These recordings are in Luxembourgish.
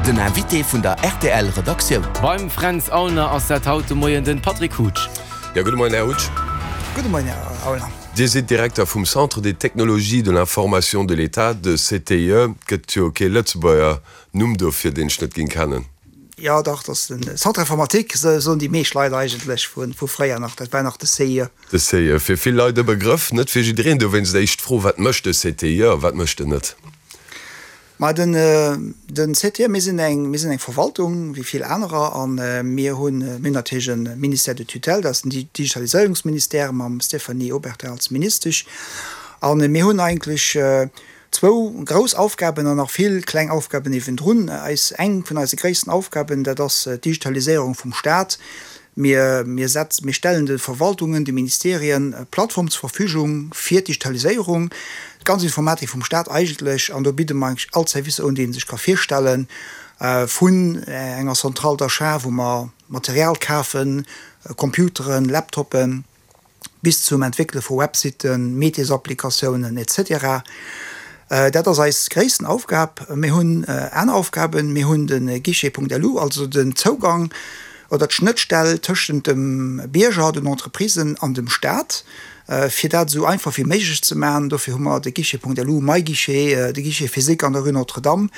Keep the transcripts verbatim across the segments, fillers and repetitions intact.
Den Invité vun der R T L Redaktioun. Beim Fränz Aulner ass dat haut de Moien den Patrick Hutsch. Ja, gudde Moien, Här Hutsch. Gudde Moien, Här Aulner. Dir sidd Direkter vum Centre des technologies de l'information de l'État, de C T I E. Gëtt jo kee Lëtzebuerger Numm dofir, deen ech net géing kennen. Jo, dach, dat ass den Centre informatique, soen déi meescht Leit eigentlech vu vu fréier nach. Dat war nach de C I E. De C I E, fir vill Leit e Begrëff, net fir jiddereen. Dowéinst éischt Fro, Wat mécht de C T I E a wat mécht en net? Ma den den C T I E, mir sinn eng mir sinn eng Verwaltung wéi vill anerer a mir hunn mir hunn natierlech e Ministère de tutelle, dat ass den Digitaliséierungsministère mam Stéphanie Obertin als Ministesch. A mir hunn eigentlech zwou grouss Aufgaben an nach vill kleng Aufgaben niewendrun. Eis eng vun eise gréissten Aufgaben, dat ass d'Digitaliséierung vum Staat. Mir mir setz mir stellen de Verwaltungen, de Ministerien e Plattform zur Verfügung fir d'Digitaliséierung, d'ganz Informatik vum Staat eigentlech, an do bidde mer eigentlech all Servicer un, déi ee sech ka virstellen, vun enger Centrale d'achat, wou mer Material kafen, Computeren, Laptoppen, bis zum Entwéckele vu Websiten, Métiersapplikatiounen et cetera. Dat ass eis gréissten Aufgab. Mir hunn aner Aufgaben. Mir hunn de Guichet Punkt L U, also den Zougang oder d'Schnëttstell tëschent dem Bierger, den Entreprisen an dem Staat, fir dat esou einfach wéi méiglech ze maachen. Dofir hu mer de Guichet Punkt L U, MyGuichet, de Guichet physique an der Rue Notre-Dame,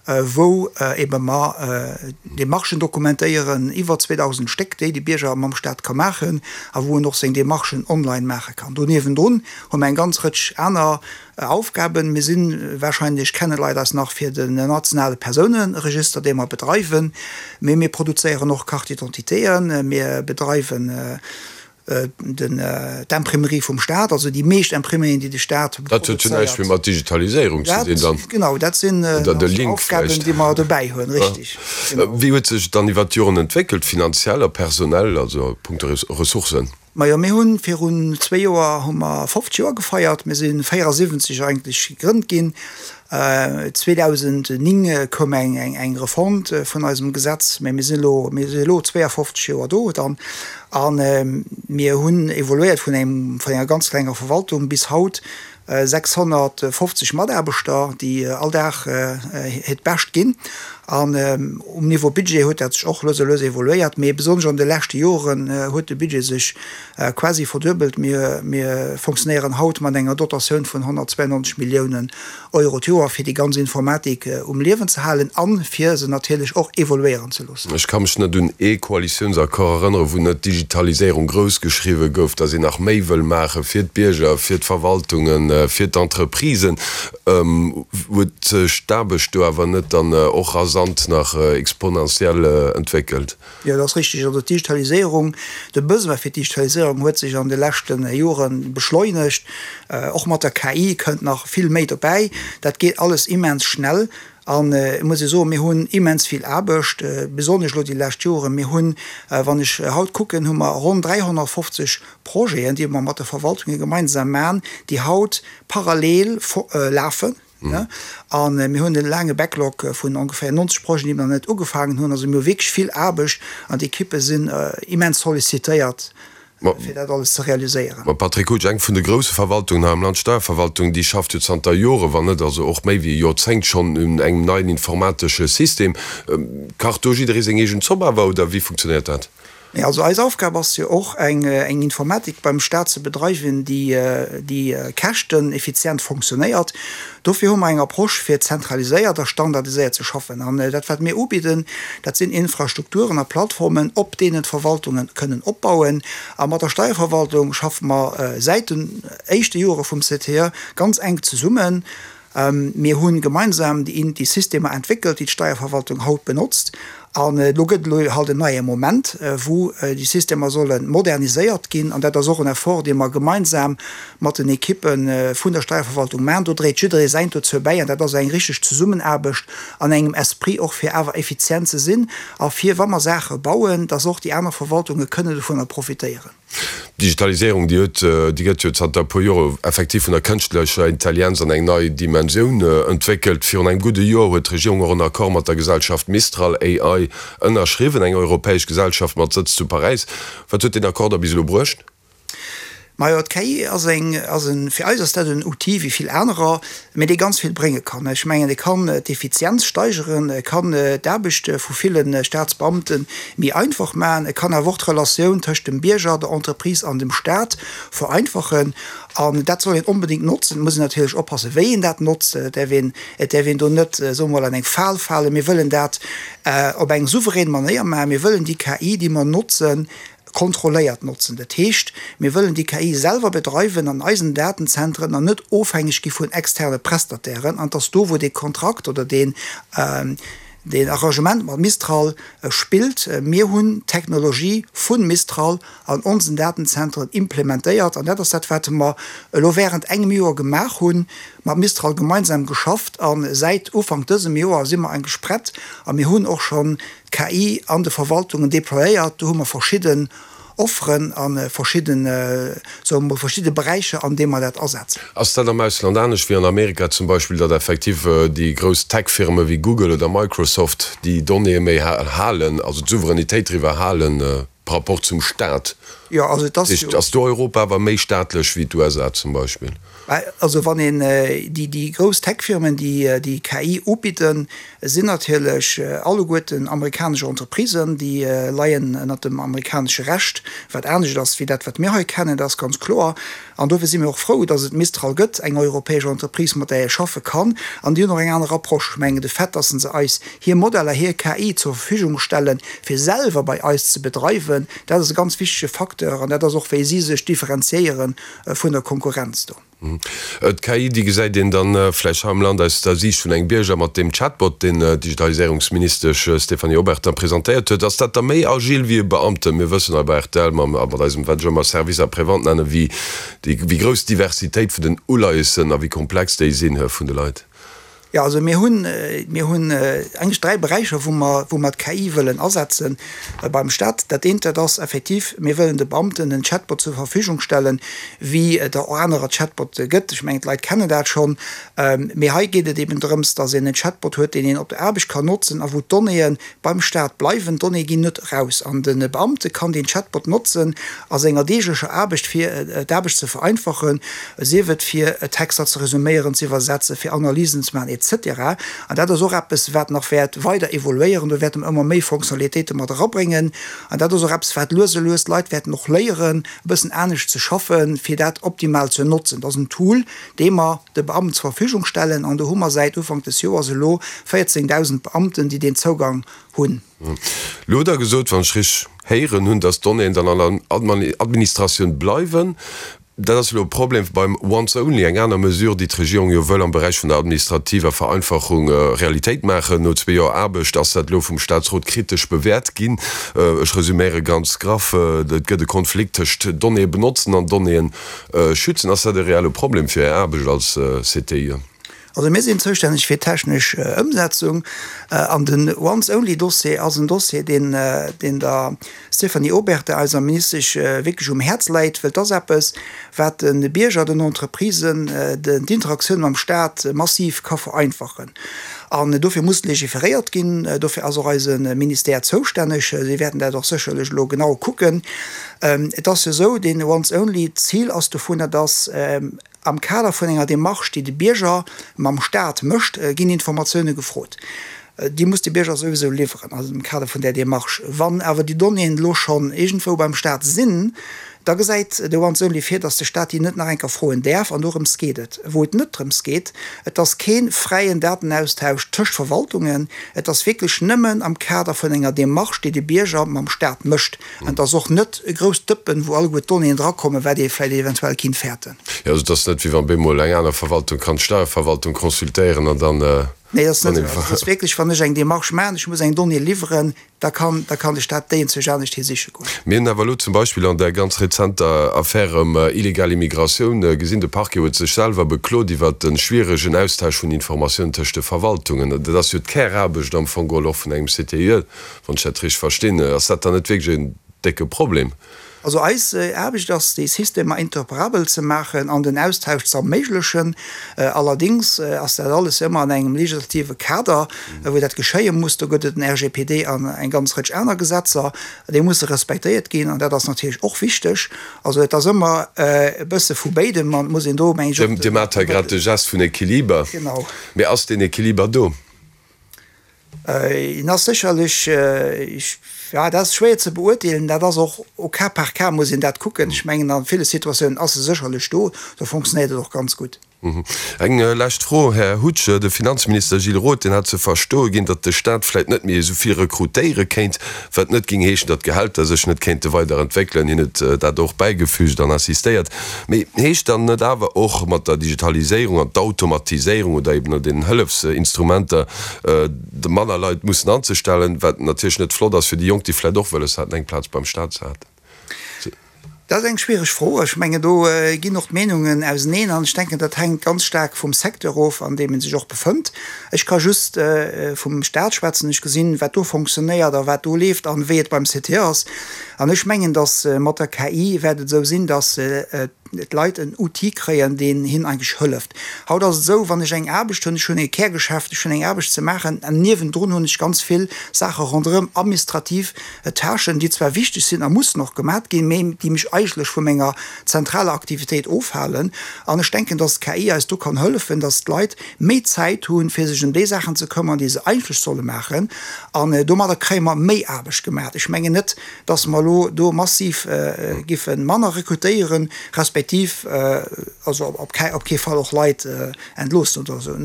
wou ebe mer Demarchen dokumentéieren, iwwer zweedausend Stéck, déi de Bierger mam Staat ka maachen a wou en och seng Demarchen online maache kann. Do niewendrun hu mer eng ganz Rëtsch aner Aufgaben. Mir sinn, warscheinlech kenne Leit eis nach fir den nationale Persouneregister, dee mer bedreiwen, mee mir produzéieren och Carte d'identitéen, mir bedreiwen den d'Imprimerie vum Staat, also déi meescht Imprimerien, déi de Staat Dat huet jo näischt méi produzéiert. Mat Digitaliséierung ze dinn dann. Dat, genau, dat sinn Oder de nach Link Aufgaben, vläicht. Déi mer dobäi hunn, richtig, genau. Wéi huet sech dann iwwer d'Joren entwéckelt, finanziell a personell, also a punkto Ressourcen? Majo, mir hunn virun zwee Joer hu mer fofzeg Joer gefeiert. Mir si véierasiwwenzeg eigentlech gegrënnt ginn. zweedausendnéng koum eng eng Refonte vun eisem Gesetz, mä mir sinn elo mir si elo zweeafofzeg Joer do dann. A mir hunn evoluéiert vun engem vun enger ganz klenger Verwaltung bis haut sechshonnertfofzeg Mataarbechter, déi all Dag hiert Bescht ginn. An um Niveau Budget huet dat sech och lues a lues evoluéiert, mee besonnesch an de leschte Joren huet de Budget sech quasi verduebelt. Mir mir fonctionnéieren haut mat enger Dotatioun vun honnertzweiannonzeg Milliounen Euro d'Joer, fir déi ganz Informatik um Liewen ze halen an fir se natierlech och evoluéieren ze loossen. Ech ka mech net un ee Koalitiounsaccord erënneren, wou net Digitaliséierung grouss geschriwwe gouf, datt een nach méi wëll maache fir d'Bierger, fir d'Verwaltungen, fir d'Entreprisen. Huet sech d'Aarbecht do awer net dann och rasant nach exponentiell entwéckelt? Jo, dat ass richtig. Also d'Digitaliséierung, de Besoin fir d'Digitaliséierung huet sech an de leschte Jore beschleunegt. Och mat der K I kënnt nach vill méi dobäi. Dat geet alles immens schnell. An et muss ee soen, mir hunn immens vill Aarbecht, besonnesch elo déi lescht Joren. Mir hunn, wann ech haut kucken, hu mer ronn dräihonnertfofzeg Projeten, déi mer mat de Verwaltunge gemeinsam maachen, déi haut parallel lafen. A mir hunn e laange Backlog vun ongeféier nonzeg Projeten, déi mer nach net ugefaangen hunn. Also mir hu wierklech vill Aarbecht an d'Ekippe sinn immens sollicitéiert, fir dat alles ze realiséieren. Ma Patrick Hutsch, eng vun de grousse Verwaltungen hei am Land, d'Steierverwaltung, déi schafft jo zanter Joren, wann net also och méi wéi e Joerzéngt schonn un engem neien informatesche System. Kacht do jidderee seng eegen Zopp awer oder wéi funktionéiert dat? Nee, also eis Aufgab ass jo och, eng eng Informatik beim Staat ze bedreiwen, déi déi käschteneffizient fonctionnéiert. Dofir hu mer eng Approche, fir zentraliséiert a standardiséiert ze schaffen. An dat, wat mir ubidden, dat sinn Infrastrukturen a Plattformen, op deenen d'Verwaltunge kënnen opbauen. A mat der Steierverwaltung schaffe mer säit den éischte Jore vum C T E ganz enk zesummen. Mir hu gemeinsam déi Systemer entwéckelt, déi d'Steierverwaltung haut benotzt. An elo gëtt elo halt en neie Moment, wou déi Systemer solle moderniséiert ginn. An dat ass och en Effort, dee mer gemeinsam mat den Ekippe vun der Steierverwaltung maachen. Do dréit jidderee säint dozou bäi. An dat ass eng richteg Zesummenaarbecht an engem Esprit och, fir awer effizient ze sinn a fir, wa mer Saache bauen, dass och déi aner Verwaltunge kënnen dovunner profitéieren. D'Digitaliséierung, déi huet, déi gëtt jo zanter e puer Jore effektiv vun der kënschtlecher Intelligenz an eng nei Dimensioun entwéckelt. Virun engem gudde Joer huet d'Regierung och en Accord mat der Gesellschaft Mistral A I ënnerschriwwen, eng europäesch Gesellschaft mat Sëtz zu Paräis. Wat huet deen Accord da bis elo bruecht? Majo, d'KI ass eng, ass en, fir eis ass dat en Outil wéi vill anerer, mä dee ganz vill brénge kann. Ech mengen, e kann d'Effizienz steigeren, e kann d'Aarbecht vu ville Staatsbeamte méi einfach maachen, e kann awer och d'Relatioun tëscht dem Bierger, der Entreprise an dem Staat vereinfachen. An dat soll een onbedéngt notzen. Et muss een natierlech oppassen, wéi een dat notzt. Et däerf een, et däerf een do net, soe mer mol, an eng Fal falen. Mir wëllen dat op eng souverän Manéier maachen. Mir wëllen déi KI, déi mer notzen, kontrolléiert notzen. Dat heescht, mir wëllen déi KI selwer bedreiwen an eisen Datenzentren an net ofhängeg gi vun externe Prestatairen. An et ass do, wou dee Kontrakt oder deen, deen Arrangement mat Mistral spillt. Mir hunn d'Technologie vu Mistral an onsen Datenzentren implementéiert. An dat ass dat, wat mer elo während engem Joer gemaach hunn, mat Mistral gemeinsam geschafft. A säit Ufank dësem Joer si mer eigentlech prett a mir hunn och schonn d'KI an de Verwaltungen déployéiert. Do hu mer verschidden Offeren a verschidden, soe mer mol, verschidde Beräicher, an deem mer dat asetzen. Ass dat am Ausland anescht wéi an Amerika zum Beispill, datt effektiv déi grouss Tech-Firme wéi Google oder Microsoft déi Donnéeë méi halen, also d'Souveränitéit driwwer halen par rapport zum Staat? Jo, also et ass jo. Ass do Europa awer méi staatlech wéi d'USA zum Beispill? Also wann een déi, déi grouss Tech-Firmen, déi déi KI ubidden, sinn natierlech alleguerten amerikanesch Entreprisen, déi leien ënnert dem amerikanesche Recht, wat anescht ass wéi dat, wat mir hei kennen, dat ass ganz kloer. An dofir si mir och frou, datt et Mistral gëtt, eng europäesch Entreprise, mat där ee schaffe kann. An déi hunn och eng aner Approche. Ech mengen, de Fait, datt se eis hir Modeller, hir KI zur Verfügung stellen, fir selwer bei eis ze bedreiwen, dat ass e ganz wichtege Facteur an dat ass och, wéi si sech differenziéiere vun der Konkurrenz do. D'KI, déi gesäit een dann vläicht hei am Land aus der Siicht vun engem Bierger mat deem Chatbot, deen d'Digitaliséierungsministesch Stéphanie Obertin presentéiert huet. Ass dat da méi agil wéi e Beamten? Mir wëssen hei bei rtl mam, mat eisem, wat ech ëmmer Service après-vente nennen, wéi déi, wéi grouss d'Diversitéit vun den Uleiessen a wéi komplex déi sinn vun de Leit. Jo, also mir hunn, mir hunn eigentlech dräi Beräicher, wou mer, wou mer d'KI wëllen asetze beim Stat. Dat eent, dat ass effektiv, mir wëllen de Beamten en Chatbot zur Verfügung stellen, wéi et der och anerer Chatbote gëtt. Ech mengen, d'Leit kennen dat schonn. Mee hei geet et eben drëms, dass een en Chatbot huet, deen een op der Aarbecht kann notzen a wou d'Donnéeë beim Stat bleiwen. D'Donnéeë ginn net eraus an de Beamte kann deen Chatbot notzen a senger deeglecher Aarbecht, fir d'Aarbecht ze vereinfachen, sief et fir Texter ze resuméieren, ze iwwersetzen, fir Analysen ze maachen, et cetera. An dat ass och eppes, wat nach wäert weider evoluéieren. Do wäerte mer ëmmer méi Fonctionnalitéite mat erabréngen. An dat ass och eppes, wat lues a lues d'Leit wäerten och léieren, e bëssen anescht ze schaffen, fir dat optimal ze notzen. Dat ass en Tool, dee mer de Beamten zur Verfügung stellen. An do hu mer säit Ufank des Joers elo véierzéngdausend Beamten, déi deen Zougang hunn. Elo hutt Der gesot, wann ech richteg héieren hunn, dass d'Donnéeën dann an der Administratioun bleiwen. Dat ass elo e Problem beim Once Only, eng aner Mesure, déi d'Regierung jo wëll am Beräich vun der administrativer Vereinfachung Realitéit maachen. No zwee Joer Aarbecht ass dat elo vum Staatsrot kritesch bewäert ginn. Ech resuméiere ganz graff, Et gëtt e Konflikt tëscht Donnéeë benotzen an Donnéeë schützen. Ass dat e reelle Problem fir Är Aarbecht als CTIE? Also mir sinn zoustänneg fir d'technesch Ëmsetzung an den Once-Only-Dossier ass en Dossier, deen deen der Stéphanie Obertin, eiser Ministesch, wierklech um Häerz läit, well et ass eppes, wat de Bierger, den Entreprisen d'Interaktioun mam Staat massiv ka vereinfachen. An dofir muss legiferéiert ginn. Dofir ass och eise Ministère zoustänneg. Si wäerten dat och sécherlech elo genau kucken. Et ass jo esou, deen Once-Only, d'Zil ass dovunner, dass, Am Kader vun enger Demarche, déi de Bierger mam Staat mécht, ginn Informatioune gefrot. Déi muss de Bierger souwisou liwweren, also am Kader vun där Demarche. Wann awer déi Donnéeën elo schonn iergendwou beim Staat sinn, da gesäit de Once Only vir, datt de Staat déi net nach eng Kéier froen däerf. An dorëms geet et. Wou et net drëms geet, et ass kee fräien Datenaustausch tëscht Verwaltungen, et ass wierklech nëmmen am Kader vun enger Demarche, déi de Bierger mam Staat mécht. An et ass och net e grousst Dëppen, wou alleguer d'Donnéeën drakommen, wat ee vläicht eventuell kinnt fäerten. Jo, also et ass net, wéi wann bemol eng aner Verwaltung kann d'Steierverwaltung consultéieren an dann. Nee, dat ass net esou. Also et ass wierklech, wann ech eng Demarche maachen, ech muss eng Donnée liwweren, da kann, da kann de Staat déi enzwousch anescht hi siche goen. Mir hunn awer elo zum Beispill an där ganz rezenter Affär ëm illegal Immigratioun gesinn, de Parquet huet sech selwer beklot iwwert de schwieregen Austausch vun Informatiounen tëscht de Verwaltungen. Dat ass jo d'Käraarbecht am Fong geholl och vun engem CTIE, wann ech dat richteg verstinn. Ass dat dann net wierklech en décke Problem? Also eis Aarbecht ass, déi Systemer interoperabel ze maachen an den Austausch ze erméiglechen. Allerdéngs ass dat alles ëmmer an engem legislative Kader, wou dat geschéie muss. Do gëtt et den R G P D an eng ganz Rëtsch aner Gesetzer, déi musse respektéiert ginn, an dat ass natierlech och wichteg. Also et ass ëmmer e bësse vu béidem an et muss een do, meng ech, och. Dir maacht hei grad de Gest vun Equiliber. Genau. Mee ass deen Equiliber do? En ass sécherlech, jo, dat ass schwéier ze beurteelen. Dat ass och au cas par cas muss een dat kucken. Ech mengen, a ville Situatiounen ass e sécherlech do, do fonctionnéiert et och ganz gutt. Eng lescht Fro, Här Hutsch, De Finanzminister Gilles Roth, deen hat ze verstoe ginn, datt de Staat vläit net méi esou vill rekrutéiere kéint, wat net géing heeschen, datt d'Gehälter sech net kéinte weider entwéckelen. Hien huet dat och bäigefügt an insistéiert. Mee heescht dann net awer och mat der Digitaliséierung an d'Automatiséierung oder eben den Hëllefsinstrumenter, de manner Leit mussen anzestellen, wat natierlech net flott ass fir déi Jonk, déi vläit och wëlles haten, eng Plaz beim Staat ze haten? Dat ass eng schwiereg Fro. Ech mengen, do ginn och d'Meenungen auseneen an ech denken, dat hänkt ganz staark vum Secteur of, an deem ee sech och befënnt. Ech ka just vum Staat schwätzen. Ech gesinn, wat do fonctionnéiert a wat do leeft an wéi et beim C T E ass. An ech mengen, datt mat der K I wäert et esou sinn, datt d'Leit en Outil kréien, deen hinnen eigentlech hëlleft. Haut ass et esou, wann ech eng Aarbecht hunn, ech hunn e Kärgeschäft, ech hunn eng Aarbecht ze maachen an niewendrun hunn ech ganz vill Saache ronderëm, administrativ Tâchen, déi zwar wichteg sinn a mussen och gemat ginn, mee déi mech eigentlech vu menger zentraler Aktivitéit ofhalen. An ech denken, dass d'K I eis do kann hëllefen, dass d'Leit méi Zäit hunn, fir sech ëm déi Saachen ze këmmern, déi se eigentlech solle maachen. An domadder kréie mer méi Aarbecht gemat. Ech mengen net, dass mer elo do massiv giffe manner rekrutéieren, respektiv also op op kee Fall och Leit entloossen oder esou.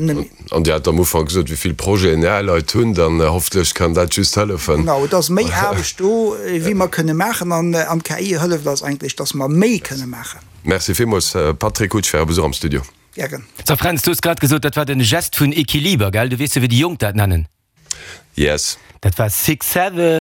An Dir hat am Ufank gesot, wéi vill Projeten Är Leit hunn, dann hoffentlech kann dat just hëllefen. Genau, et ass méi Aarbecht do, wéi mer kënne maachen, an d'K I hëlleft eis eigentlech, dass mer méi kënne maachen. Merci villmools, Patrick Hutsch, fir Äre Besuch am Studio. Gären. So Fränz, du hues grad gesot, dat war den Gest vun Equiliber, gell? Du weess jo, wéi déi Jonk dat nennen? Yes. Dat war Six Seven.